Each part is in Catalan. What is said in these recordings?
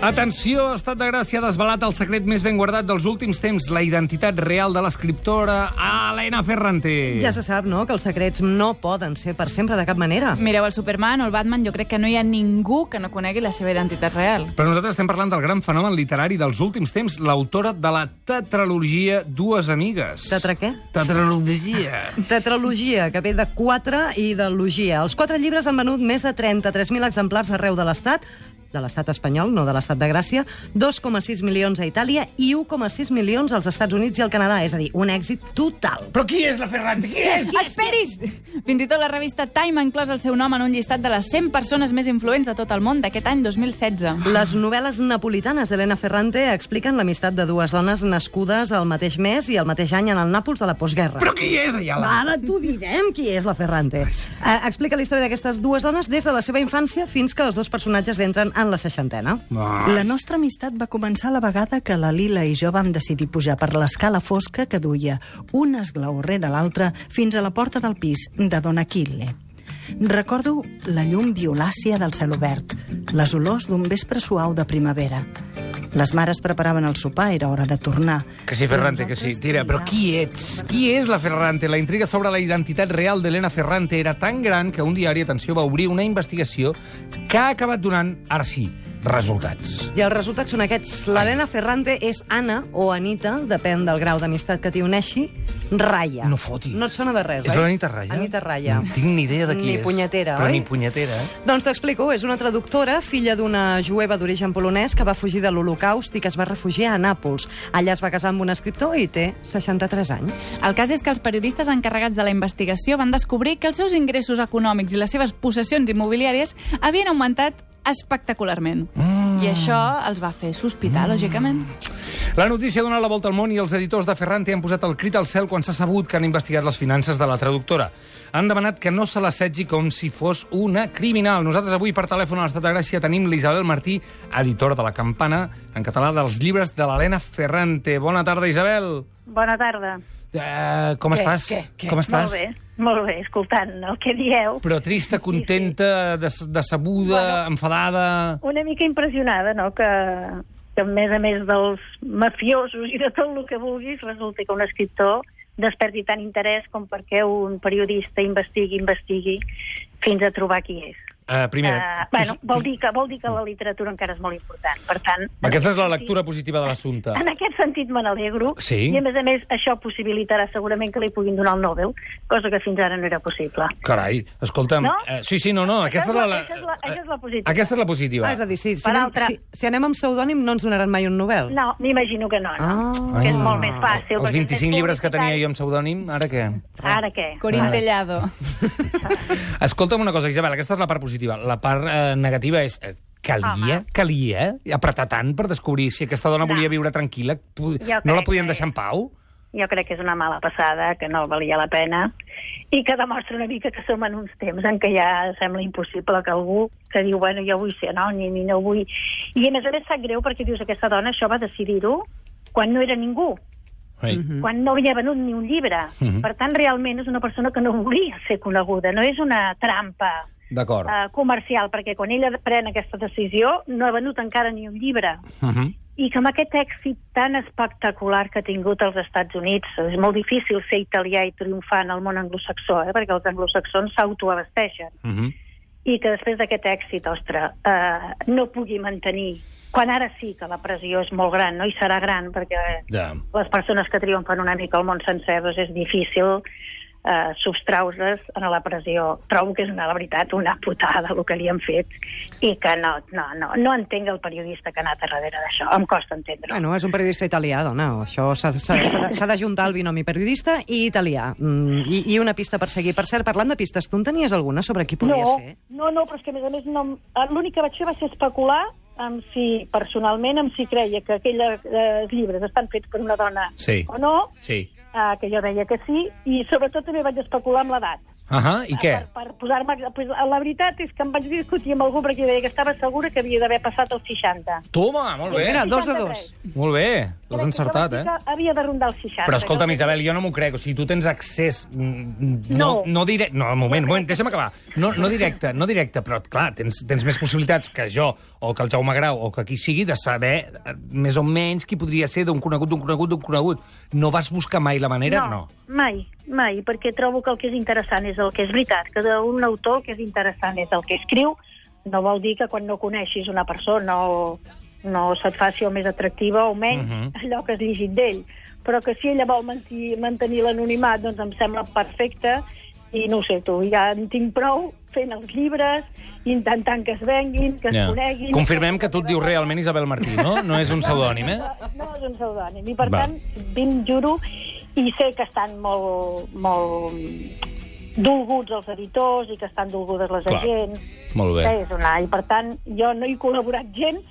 Atenció, Estat de Gràcia ha desvelat el secret més ben guardat dels últims temps, la identitat real de l'escriptora Elena Ferrante. Ja se sap, no?, que els secrets no poden ser per sempre de cap manera. Mireu el Superman o el Batman, jo crec que no hi ha ningú que no conegui la seva identitat real. Però nosaltres estem parlant del gran fenomen literari dels últims temps, l'autora de la tetralogia Dues amigues. Tetra què? Tetralogia. Tetralogia, que ve de 4 i de logia. Els 4 llibres han venut més de 33.000 exemplars arreu de l'estat espanyol, no de l'Estat de Gràcia, 2,6 milions a Itàlia i 1,6 milions als Estats Units i al Canadà, és a dir, un èxit total. Però qui és la Ferrante? Qui és? Esperis! Fins i tot la revista Time ha inclòs el seu nom en un llistat de les 100 persones més influents de tot el món d'aquest any 2016. Les novel·les napolitanes d'Elena Ferrante expliquen l'amistat de dues dones nascudes al mateix mes i al mateix any en el Nàpols de la postguerra. Però qui és, Ayala? Ara t'ho direm, qui és la Ferrante. Explica la història d'aquestes dues dones des de la seva infància fins que els dos personatges entren en la 60ena. La nostra amistat va començar la vegada que la Lila i jo vam decidir pujar per l'escala fosca que duia un esglaó rere l'altre fins a la porta del pis de Don Achille. Recordo la llum violàcia del cel obert, les olors d'un vespre suau de primavera. Les mares preparaven el sopar, era hora de tornar. Que sí, Ferrante, que sí. Tira, però qui ets? Qui és la Ferrante? La intriga sobre la identitat real d'Elena Ferrante era tan gran que un diari, atenció, va obrir una investigació que ha acabat donant, ara sí, resultats. I els resultats són aquests. L'Elena Ferrante és Anna o Anita, depèn del grau d'amistat que t'hi uneixi, Raya. No foti. No et sona de res, És oi? l'Anita Raya? Anita Raya. No tinc ni idea de qui és. Ni punyetera, però oi? Ni punyetera, Doncs t'explico. És una traductora, filla d'una jueva d'origen polonès que va fugir de l'Holocaust i que es va refugiar a Nàpols. Allà es va casar amb un escriptor i té 63 anys. El cas és que els periodistes encarregats de la investigació van descobrir que els seus ingressos econòmics i les seves possessions immobiliàries havien augmentat espectacularment. I això els va fer sospitar, lògicament. La notícia ha donat la volta al món i els editors de Ferrante han posat el crit al cel quan s'ha sabut que han investigat les finances de la traductora. Han demanat que no se l'assetgi com si fos una criminal. Nosaltres avui per telèfon a l'Estat de Gràcia tenim l'Isabel Martí, editora de La Campana, en català dels llibres de l'Elena Ferrante. Bona tarda, Isabel. Bona tarda. Com estàs? Com estàs? Molt bé, escoltant el que dieu. Però trista, contenta, decebuda, enfadada... Una mica impressionada, no?, que a més dels mafiosos i de tot el que vulguis, resulta que un escriptor desperti tant interès com perquè un periodista investigui fins a trobar qui és. Vol dir que la literatura encara és molt important. Per tant, aquesta és la lectura positiva de l'assumpte. En aquest sentit me n'alegro. Sí. I a més això possibilitarà segurament que li puguin donar el Nobel, cosa que fins ara no era possible. Carai, escolta'm... No? No. Aquesta és la positiva. Aquesta és la positiva. És a dir, si anem amb pseudònim no ens donaran mai un Nobel. No, m'imagino que no. Que és molt més fàcil. Els 25 llibres que tenia jo amb pseudònim, ara què? Ara què? Corín Tellado. Escolta'm una cosa, Isabel, aquesta és la part positiva. La part negativa és... Calia apretar tant per descobrir si aquesta dona volia viure tranquil·la. No la podien deixar en pau? Jo crec que és una mala passada, que no valia la pena, i que demostra una mica que som en uns temps en què ja sembla impossible que algú que diu, bueno, jo vull ser anònim i no vull... I a més sap greu perquè dius, aquesta dona això va decidir-ho quan no era ningú. Quan no havia venut ni un llibre. Per tant, realment és una persona que no volia ser coneguda, no és una trampa comercial, perquè quan ella pren aquesta decisió no ha venut encara ni un llibre. I que amb aquest èxit tan espectacular que ha tingut als Estats Units, és molt difícil ser italià i triomfar en el món anglosaxó, perquè els anglosaxons s'autoabasteixen. I que després d'aquest èxit, no pugui mantenir, quan ara sí que la pressió és molt gran, no? I serà gran, perquè les persones que triomfen una mica al món sencer, doncs és difícil substraure-les a la pressió. Trobo que és la veritat una putada el que li han fet i que no entenc el periodista que ha anat a darrere d'això. Em costa entendre-ho. Bueno, és un periodista italià, dona. Això s'ha d'ajuntar el binomi periodista i italià. I una pista per seguir. Per cert, parlant de pistes, tu en tenies alguna sobre qui podia ser? No, però és que a més l'únic que vaig fer va ser especular personalment si creia que aquells llibres estan fets per una dona o no. Sí. Que jo deia que sí, i sobretot també vaig especular amb l'edat. I què? Per posar-me... La veritat és que em vaig discutir amb algú perquè deia que estava segura que havia d'haver passat els 60. Toma, molt bé. Mira, 2 de 2. Molt bé. L'has encertat, crec que havia de rondar els 60. Però escolta'm, Isabel, jo no m'ho crec. O sigui, tu tens accés... No directe... No, un moment, deixa'm acabar. No directe, però, clar, tens més possibilitats que jo, o que el Jaume Grau, o que qui sigui, de saber més o menys qui podria ser d'un conegut. No vas buscar mai la manera? No. Mai, perquè trobo que el que és interessant és el que és veritat, que d'un autor el que és interessant és el que escriu. No vol dir que quan no coneixis una persona no se't faci o més atractiva o menys allò que has llegit d'ell. Però que si ella vol mantenir l'anonimat, doncs em sembla perfecte, i no ho sé tu, ja en tinc prou fent els llibres, intentant que es venguin, que es coneguin... Confirmem que tu et dius realment Isabel Martí, no? No és un pseudònim, eh? No és un pseudònim, i per tant, juro, i sé que estan molt dolguts els editors i que estan dolgudes les agents. Molt bé. I per tant, jo no he col·laborat gens,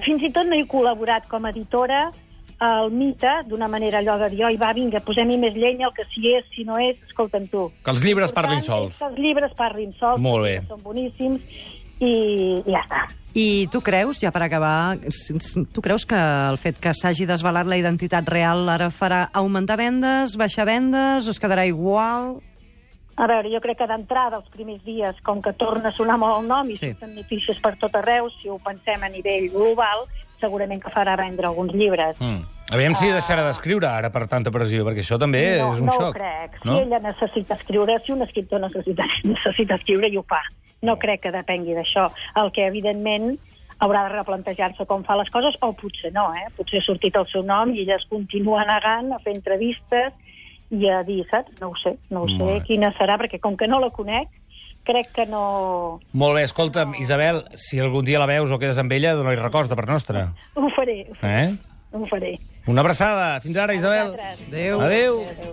fins i tot no he col·laborat com a editora al Mite, d'una manera allò de dir, va, vinga, posem-hi més llenya, el que si és, si no és, escolta'm tu. Que els llibres parlin sols. Que els llibres parlin sols, que són boníssims, i ja està. I tu creus, ja per acabar, tu creus que el fet que s'hagi desvelat la identitat real ara farà augmentar vendes, baixar vendes, o es quedarà igual? A veure, jo crec que d'entrada, els primers dies, com que torna a sonar molt el nom i surten notícies per tot arreu, si ho pensem a nivell global, segurament que farà vendre alguns llibres. Aviam si deixarà d'escriure ara per tanta pressió, perquè això també és un xoc. No ho crec. Si ella necessita escriure, si un escriptor necessita escriure, i ho fa. No crec que depengui d'això. El que, evidentment, haurà de replantejar-se com fa les coses, o potser no, Potser ha sortit el seu nom i ella es continua negant a fer entrevistes i a dir, saps? No ho sé quina serà, perquè com que no la conec, crec que no... Molt bé, escolta'm, Isabel, si algun dia la veus o quedes amb ella, dona-li records de part nostra. Ho faré. Ho faré. Una abraçada. Fins ara, Isabel. Adéu. Adéu.